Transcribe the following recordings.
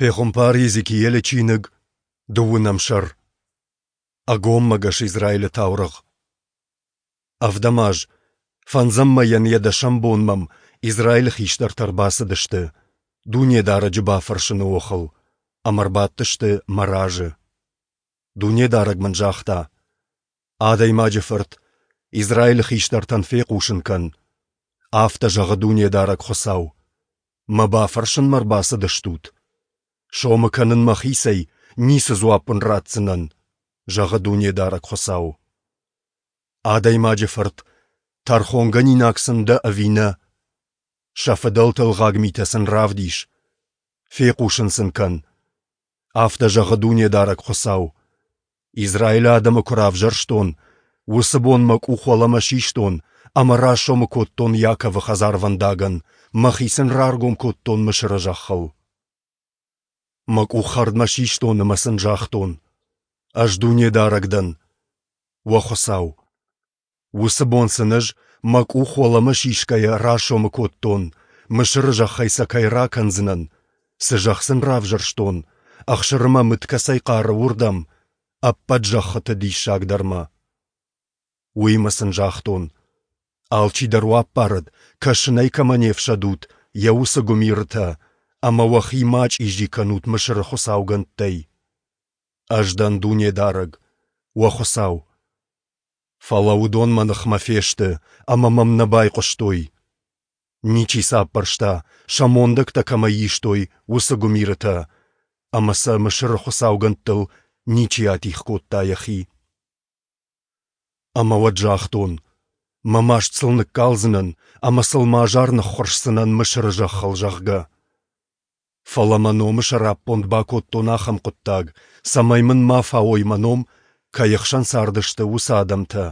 Пехуымпар Йезекиелы чиныг, дыууынӕм сӕр. Ӕгоммӕгӕс Израилы таурӕгъ. Ӕвдӕм аз, фӕндзӕм мӕйӕн йӕ дӕсӕм бон мӕм Израилы хистӕртӕ ӕрбацыдысты, Дунедарӕджы бафӕрсыны охыл, ӕмӕ ӕрбадтысты мӕ разы. Дунедарӕг мын загъта: Адӕймаджы фырт, Израилы хистӕртӕн фехъусын кӕн: Афтӕ зӕгъы Дунедарӕг Хуыцау: Мӕ бафӕрсынмӕ ӕрбацыдыстут? Сомы кӕнын мӕхицӕй, ницы дзуапп уын ратдзынӕн, зӕгъы Дунедарӕг Хуыцау. Адӕймаджы фырт, тӕрхонгӕнинаг сын дӕ ӕви нӕ? Сӕ фыдӕлты ӕлгъаг митӕ сын равдис. Фехъусын сын кӕн. Афтӕ зӕгъы Дунедарӕг Хуыцау: Израилы адӕмы куы равзӕрстон, уыцы бон мӕ къух уӕлӕмӕ систон ӕмӕ расомы кодтон Иаковы хӕдзарвӕндагӕн, мӕхи сын раргом кодтон Мысыры зӕххыл. Мӕ къух хӕрдмӕ систон ӕмӕ сын загътон: Ӕз Дунедарӕг дӕн, уӕ Хуыцау. Уыцы бон сын ӕз, мӕ къух уӕлӕмӕ сисгӕйӕ, расомы кодтон, Мысыры зӕххӕй сӕ кӕй ракӕндзынӕн, цы зӕхх сын равзӕрстон, ӕхсыры мӕ мыд кӕцӕй хъары, уырдӕм, ӕппӕт зӕххыты диссагдӕрмӕ. Уыимӕ сын загътон: Алчидӕр уӕ аппарӕд, кӕсынӕй кӕмӕ не фсӕдут, йӕ уыцы гуымирытӕ, ӕмӕ уӕхи ма чъизи кӕнут Мысыры хуыцаугӕндтӕй. Ӕз дӕн Дунедарӕг, уӕ Хуыцау. Фӕлӕ уыдон мӕ ныхмӕ фесты ӕмӕ мӕм нӕ байхъуыстой. Ничи сӕ аппӕрста, сӕ мондӕгтӕ кӕмӕй истой, уыцы гуымирытӕ, ӕмӕ сӕ Мысыры хуыцаугӕндтыл ничи атигъ кодта йӕхи. Ӕмӕ уӕд загътон: Мӕ маст сыл ныккалдзынӕн ӕмӕ сыл мӕ азар ныххуырсдзынӕн Мысыры зӕххыл, зӕгъгӕ. Фӕлӕ мӕ номы сӕраппонд бакодтон ахӕм хъуыддаг, цӕмӕй мын ма фауой мӕ ном, кӕй ӕхсӕн цардысты, уыцы адӕмтӕ,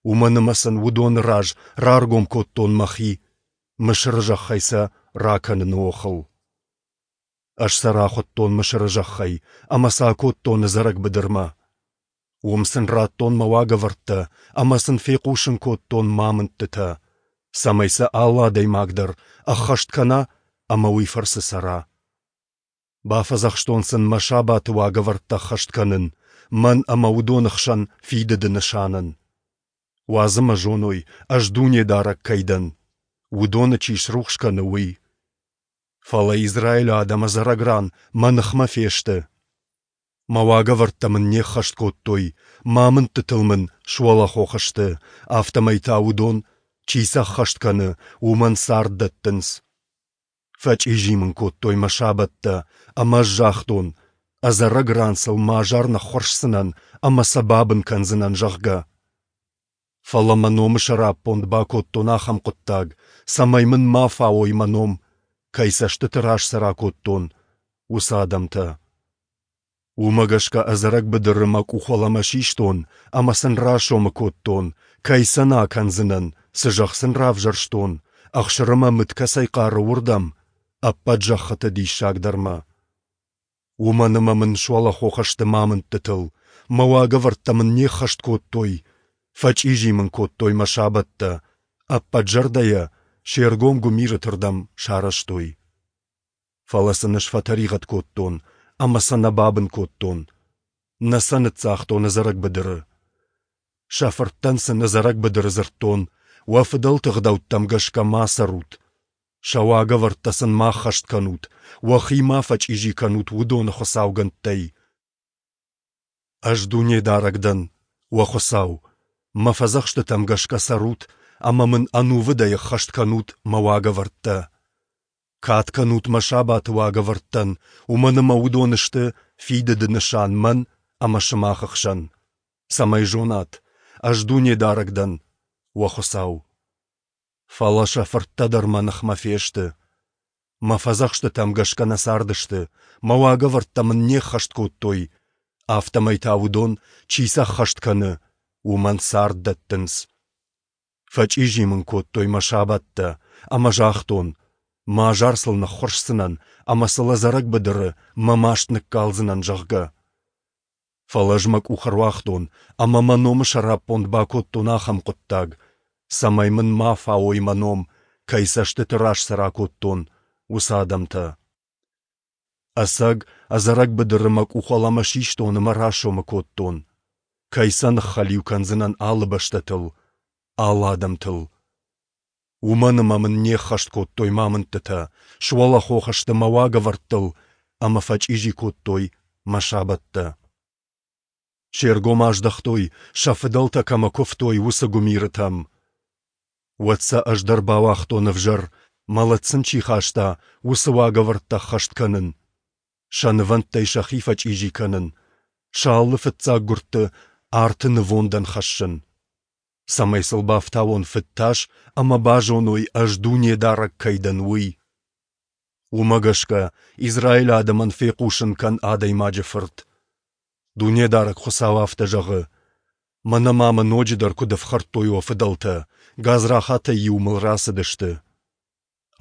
уымӕн ӕмӕ сын уыдоны раз раргом кодтон мӕхи, Мысыры зӕххӕй сӕ ракӕныны охыл. Ӕз сӕ рахуыдтон Мысыры зӕххӕй ӕмӕ сӕ акодтон ӕдзӕрӕг быдырмӕ. Уым сын радтон мӕ уагӕвӕрдтӕ ӕмӕ сын фехъусын кодтон мӕ амындтытӕ, цӕмӕй сӕ алы адӕймаг дӕр ӕххӕст кӕна ӕмӕ уый фӕрцы цӕра. Бафӕдзӕхстон сын мӕ сабаты уагӕвӕрдтӕ ӕххӕст кӕнын, мӕн ӕмӕ уыдоны хсӕн фидыды нысанӕн. Уадз ӕмӕ зоной, ӕз Дунедарӕг кӕй дӕн, уыдоны чи срухс кӕны, уый. Фӕлӕ Израилы адӕм ӕдзӕрӕг ран мӕ ныхмӕ фесты. Мӕ уагӕвӕрдтӕ мын не ххӕст кодтой, мӕ амындтытыл мын суӕлӕхох сты, афтӕмӕй та уыдон, чи сӕ ӕххӕст кӕны, уымӕн цард дӕттынц. Фӕчъизи мын кодтой мӕ сабӕттӕ, ӕмӕ ӕз загътон, ӕдзӕрӕг ран сыл мӕ азар ныххуырсдзынӕн ӕмӕ сӕ бабын кӕндзынӕн, зӕгъгӕ. Фӕлӕ мӕ номы сӕраппонд бакодтон ахӕм хъуыддаг, цӕмӕй мын ма фауой мӕ ном, кӕй цӕстыты раз сӕ ракодтон, уыцы адӕмтӕ. Уымӕ гӕсгӕ ӕдзӕрӕг быдыры мӕ къух уӕлӕмӕ систон ӕмӕ сын расомы кодтон, кӕй сӕ нӕ акӕндзынӕн, цы зӕхх сын равзӕрстон, ӕхсыры мӕ мыд кӕцӕй хъары, уырдӕм, ӕппӕт зӕххыты диссагдӕрмӕ. Уымӕн ӕмӕ мын суӕлӕхох сты мӕ амындтытыл, мӕ уагӕвӕрдтӕ мын не ххӕст кодтой, фӕчъизи мын кодтой мӕ сабӕттӕ, ӕппӕт зӕрдӕйӕ се ргом гуымирыты рдӕм сарӕзтой. Фӕлӕ сын ӕз фӕтӕригъӕд кодтон ӕмӕ сӕ нӕ бабын кодтон, нӕ сӕ ныццагътон ӕдзӕрӕг быдыры. Сӕ фырттӕн сын ӕдзӕрӕг быдыры дзырдтон, уӕ фыдӕлты ӕгъдӕуттӕм гӕсгӕ ма цӕрут, сӕ уагӕвӕрдтӕ сын ма ӕххӕст кӕнут, уӕхи ма фӕчъизи кӕнут уыдоны хуыцаугӕндтӕй. Ӕз Дунедарӕг дӕн, уӕ Хуыцау, мӕ фӕдзӕхстытӕм гӕсгӕ цӕрут ӕмӕ мын ӕнувыдӕй ӕххӕст кӕнут мӕ уагӕвӕрдтӕ. Кад кӕнут мӕ сабаты уагӕвӕрдтӕн, уымӕн ӕмӕ уыдон сты фидыды нысан мӕн ӕмӕ сымах ӕхсӕн, цӕмӕй зонат, ӕз Дунедарӕг дӕн, уӕ Хуыцау. Фӕлӕ сӕ фырттӕ дӕр мӕ ныхмӕ фесты. Мӕ фӕдзӕхстытӕм гӕсгӕ нӕ цардысты, мӕ уагӕвӕрдтӕ мын не ххӕст кодтой, афтӕмӕй та уыдон, чи сӕ ӕххӕст кӕны, уымӕн цард дӕттынц. Фӕчъизи мын кодтой мӕ сабӕттӕ, ӕмӕ загътон, мӕ азар сыл ныххуырсдзынӕн ӕмӕ сыл ӕдзӕрӕг быдыры мӕ маст ныккалдзынӕн, зӕгъгӕ. Фӕлӕ ӕз мӕ къух ӕруагътон ӕмӕ мӕ номы сӕраппонд бакодтон ахӕм хъуыддаг, цӕмӕй мын ма фауой мӕ ном, кӕй цӕстыты раз сӕ ракодтон, уыцы адӕмтӕ. Ӕцӕг, ӕдзӕрӕг быдыры мӕ къух уӕлӕмӕ систон ӕмӕ расомы кодтон, кӕй сӕ ныххӕлиу кӕндзынӕн алы бӕстӕтыл, алы адӕмтыл. Уымӕн ӕмӕ мын не ххӕст кодтой мӕ амындтытӕ, суӕлӕхох сты мӕ уагӕвӕрдтыл ӕмӕ фӕчъизи кодтой мӕ сабӕттӕ. Се ргом аздӕхтой, сӕ фыдӕлтӕ кӕмӕ куывтой, уыцы гуымирытӕм. Уӕд сӕ ӕз дӕр бауагътон ӕвзӕр, мӕлӕт сын чи хаста, уыцы уагӕвӕрдтӕ ӕххӕст кӕнын, сӕ нывӕндтӕй сӕхи фӕчъизи кӕнын, сӕ алы фыццаггуырдты арты нывондӕн хӕссын, цӕмӕй сыл бафтауон фыдтас ӕмӕ базоной, ӕз Дунедарӕг кӕй дӕн, уый. Уымӕ гӕсгӕ Израилы адӕмӕн фехъусын кӕн адӕймаджы фырт. Дунедарӕг Хуыцау афтӕ зӕгъы: Мӕнӕ ма мӕ ноджыдӕр куыд ӕфхӕрдтой уӕ фыдӕлтӕ, гадзрахатӕй-иу мыл рацыдысты.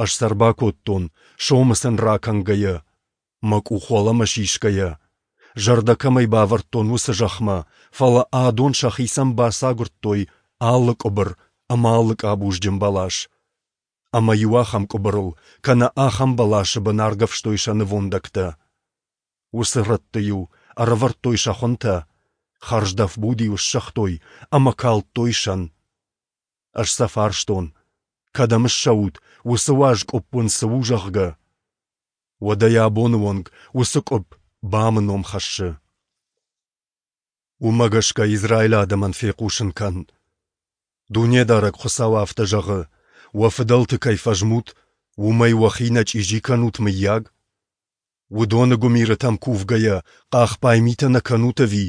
Ӕз сӕ ӕрбакодтон, сомы сын ракӕнгӕйӕ, мӕ къух уӕлӕмӕ сисгӕйӕ, зӕрдӕ кӕмӕй бавӕрдтон, уыцы зӕхмӕ, фӕлӕ адон сӕхицӕн бацагуырдтой алы къуыбыр ӕмӕ алы къабузджын бӕлас. Ӕмӕ-иу ахӕм къуыбырыл кӕнӕ ахӕм бӕласы бын аргӕвстой сӕ нывондӕгтӕ. Уыцы рӕтты-иу ӕрӕвӕрдтой сӕ хуынтӕ, хӕрздӕф буд-иу ссыгътой ӕмӕ калдтой сӕн. Ӕз сӕ фарстон, кӕдӕм ссӕут, уыцы уаз къуыпп уын цы у, зӕгъгӕ. Уӕдӕй абоны онг уыцы къуыпп БАМ-ы ном хӕссы. Уымӕ гӕсгӕ Израилы адӕмӕн фехъусын кӕн: Дунедарӕг Хуыцау афтӕ зӕгъы, уӕ фыдӕлты кӕй фӕзмут, уымӕй уӕхи нӕ чъизи кӕнут, мыййаг? Уыдоны гуымирытӕм кувгӕйӕ, хъахбай митӕ нӕ кӕнут ӕви?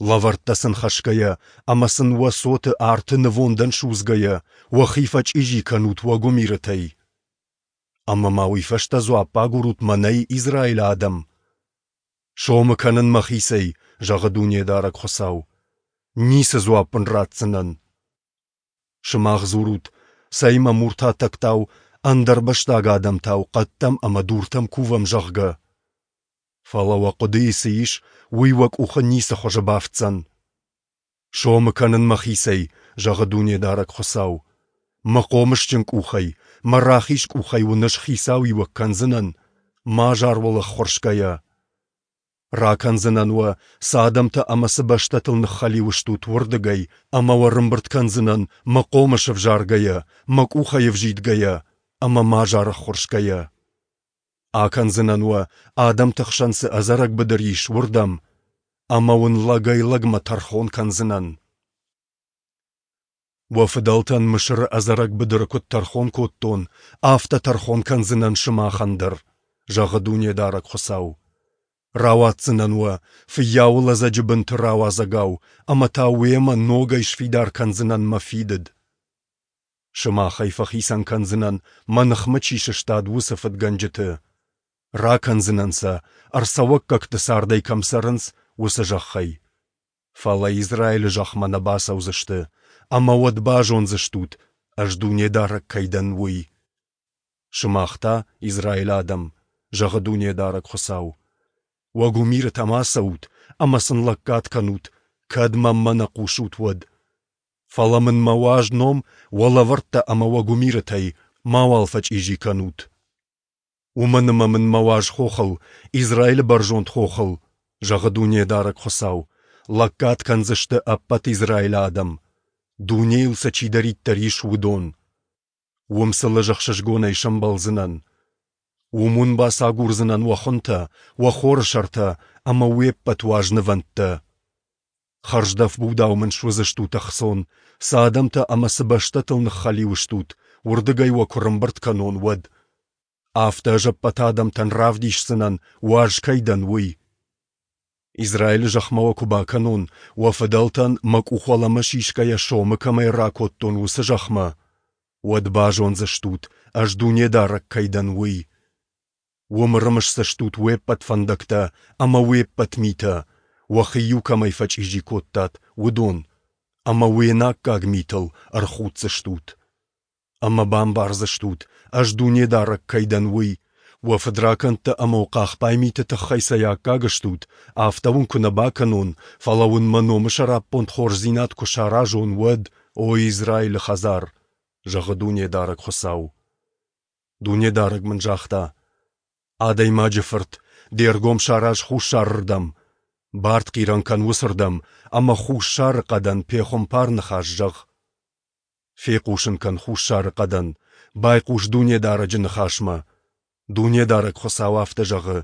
Лӕвӕрттӕ сын хӕсгӕйӕ ӕмӕ сын уӕ цоты арты нывондӕн судзгӕйӕ, уӕхи фӕчъизи кӕнут уӕ гуымирытӕй. Ӕмӕ ма уый фӕстӕ дзуапп агурут мӕнӕй, Израилы адӕм? Сомы кӕнын мӕхицӕй, зӕгъы Дунедарӕг Хуыцау. Ницы дзуапп уын ратдзынӕн. Сымах дзурут, цӕй мӕ муртатӕгтау, ӕндӕрбӕстаг адӕмтау хъӕдтӕм ӕмӕ дуртӕм кувӕм, зӕгъгӕ. Фӕлӕ уӕ хъуыдыйы цы ис, уый уӕ къухы ницы хуызы бафтдзӕн. Сомы кӕнын мӕхицӕй, зӕгъы Дунедарӕг Хуыцау. Мӕ хъомысджын къухӕй, мӕ рахиз къухӕй уын ӕз хицауиуӕг кӕндзынӕн, мӕ азар уыл ӕххуырсгӕйӕ. Ракӕндзынӕн уӕ, цы адӕмтӕ ӕмӕ цы бӕстӕтыл ныххӕлиу стут, уырдыгӕй, ӕмӕ уӕ рымбырд кӕндзынӕн мӕ хъомыс ӕвзаргӕйӕ, мӕ къухӕй ӕвзидгӕйӕ ӕмӕ мӕ азар ӕххуырсгӕйӕ. Акӕндзынӕн уӕ, адӕмты хсӕн цы ӕдзӕрӕг быдыр ис, уырдӕм, ӕмӕ уын лӕгӕй-лӕгмӕ тӕрхон кӕндзынӕн. Уӕ фыдӕлтӕн Мысыры ӕдзӕрӕг быдыры куыд тӕрхон кодтон, афтӕ тӕрхон кӕндзынӕн сымахӕн дӕр, зӕгъы Дунедарӕг Хуыцау. Рауадздзынӕн уӕ, фыййауы лӕдзӕджы бынты рауадзӕгау, ӕмӕ та уемӕ ногӕй сфидар кӕндзынӕн мӕ фидыд. Сымахӕй фӕхицӕн кӕндзынӕн, мӕ ныхмӕ чи сыстад, уыцы фыдгӕнджыты. Ракӕндзынӕн сӕ, ӕрцӕуӕггӕгты цардӕй кӕм цӕрынц, уыцы зӕххӕй. Фӕлӕ Израилы зӕхмӕ нӕ бацӕудзысты, ӕмӕ уӕд базондзыстут, ӕз Дунедарӕг кӕй дӕн, уый. Сымах та, Израилы адӕм, зӕгъы Дунедарӕг Хуыцау, уӕ гуымирытӕм ацӕут ӕмӕ сын лӕггад кӕнут, кӕд мӕнмӕ нӕ хъусут, уӕд. Фӕлӕ мын мӕ уаз ном уӕ лӕвӕрттӕ ӕмӕ уӕ гуымирытӕй мауал фӕчъизи кӕнут. Уымӕн ӕмӕ мын мӕ уаз хохыл, Израилы бӕрзонд хохыл, зӕгъы Дунедарӕг Хуыцау, лӕггад кӕндзысты ӕппӕт Израилы адӕм, дунейыл сӕ чидӕриддӕр ис, уыдон. Уым сыл ӕз ӕхсызгонӕй сӕмбӕлдзынӕн. Уым уын бацагурдзынӕн уӕ хуынтӕ, уӕ хоры сӕртӕ ӕмӕ уе ппӕт уаз нывӕндтӕ. Хӕрздӕф будау мын суыдзыстут ӕхцон, цы адӕмтӕ ӕмӕ цы бӕстӕтыл ныххӕлиу стут, уырдыгӕй уӕ куы рымбырд кӕнон, уӕд. Афтӕ ӕз ӕппӕт адӕмтӕн равдисдзынӕн, уаз кӕй дӕн, уый. Израилы зӕхмӕ уӕ куы бакӕнон, уӕ фыдӕлтӕн мӕ къух уӕлӕмӕ сисгӕйӕ сомы кӕмӕй ракодтон, уыцы зӕхмӕ, уӕд базондзыстут, ӕз Дунедарӕг кӕй дӕн, уый. Уым ӕрымысдзыстут уе ппӕт фӕндӕгтӕ ӕмӕ уе ппӕт митӕ, уӕхи-иу кӕмӕй фӕчъизи кодтат, уыдон, ӕмӕ уе наккаг митыл ӕрхуддзыстут. Ӕмӕ бамбардзыстут, ӕз Дунедарӕг кӕй дӕн, уый, уӕ фыдракӕндтӕ ӕмӕ уӕ хъахбай миты тыххӕй цӕй аккаг стут, афтӕ уын куы нӕ бакӕнон, фӕлӕ уын мӕ номы сӕраппонд хорздзинад куы саразон, уӕд, о Израилы хӕдзар, зӕгъы Дунедарӕг Хуыцау. Дунедарӕг мын загъта: Адӕймаджы фырт, де ргом сараз хуссарырдӕм, бартхъирӕн кӕн уыцырдӕм ӕмӕ хуссары хъӕдӕн пехуымпар ныхас зӕгъ. Фехъусын кӕн хуссары хъӕдӕн, байхъус Дунедарӕджы ныхасмӕ. Дунедарӕг Хуыцау афтӕ зӕгъы: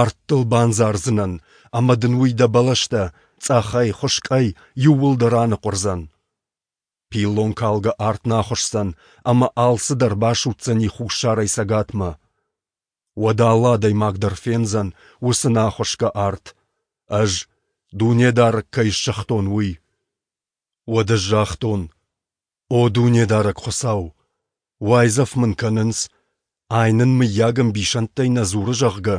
Арт дыл бандзардзынӕн, ӕмӕ дын уый дӕ бӕлӕстӕ, цъӕхӕй, хуыскъӕй, иууылдӕр аныхъуырдзӕн. Пиллон калгӕ арт нӕ ахуысдзӕн, ӕмӕ алцыдӕр басудздзӕни хуссарӕй цӕгатмӕ. Уӕд алы адӕймаг дӕр фендзӕн уыцы нӕахуысгӕ арт, Ӕз, Дунедарӕг, кӕй ссыгътон, уый. Уӕд ӕз загътон: О Дунедарӕг Хуыцау! Уайдзӕф мын кӕнынц, ай нын мыййаг ӕмбисӕндтӕй нӕ дзуры, зӕгъгӕ.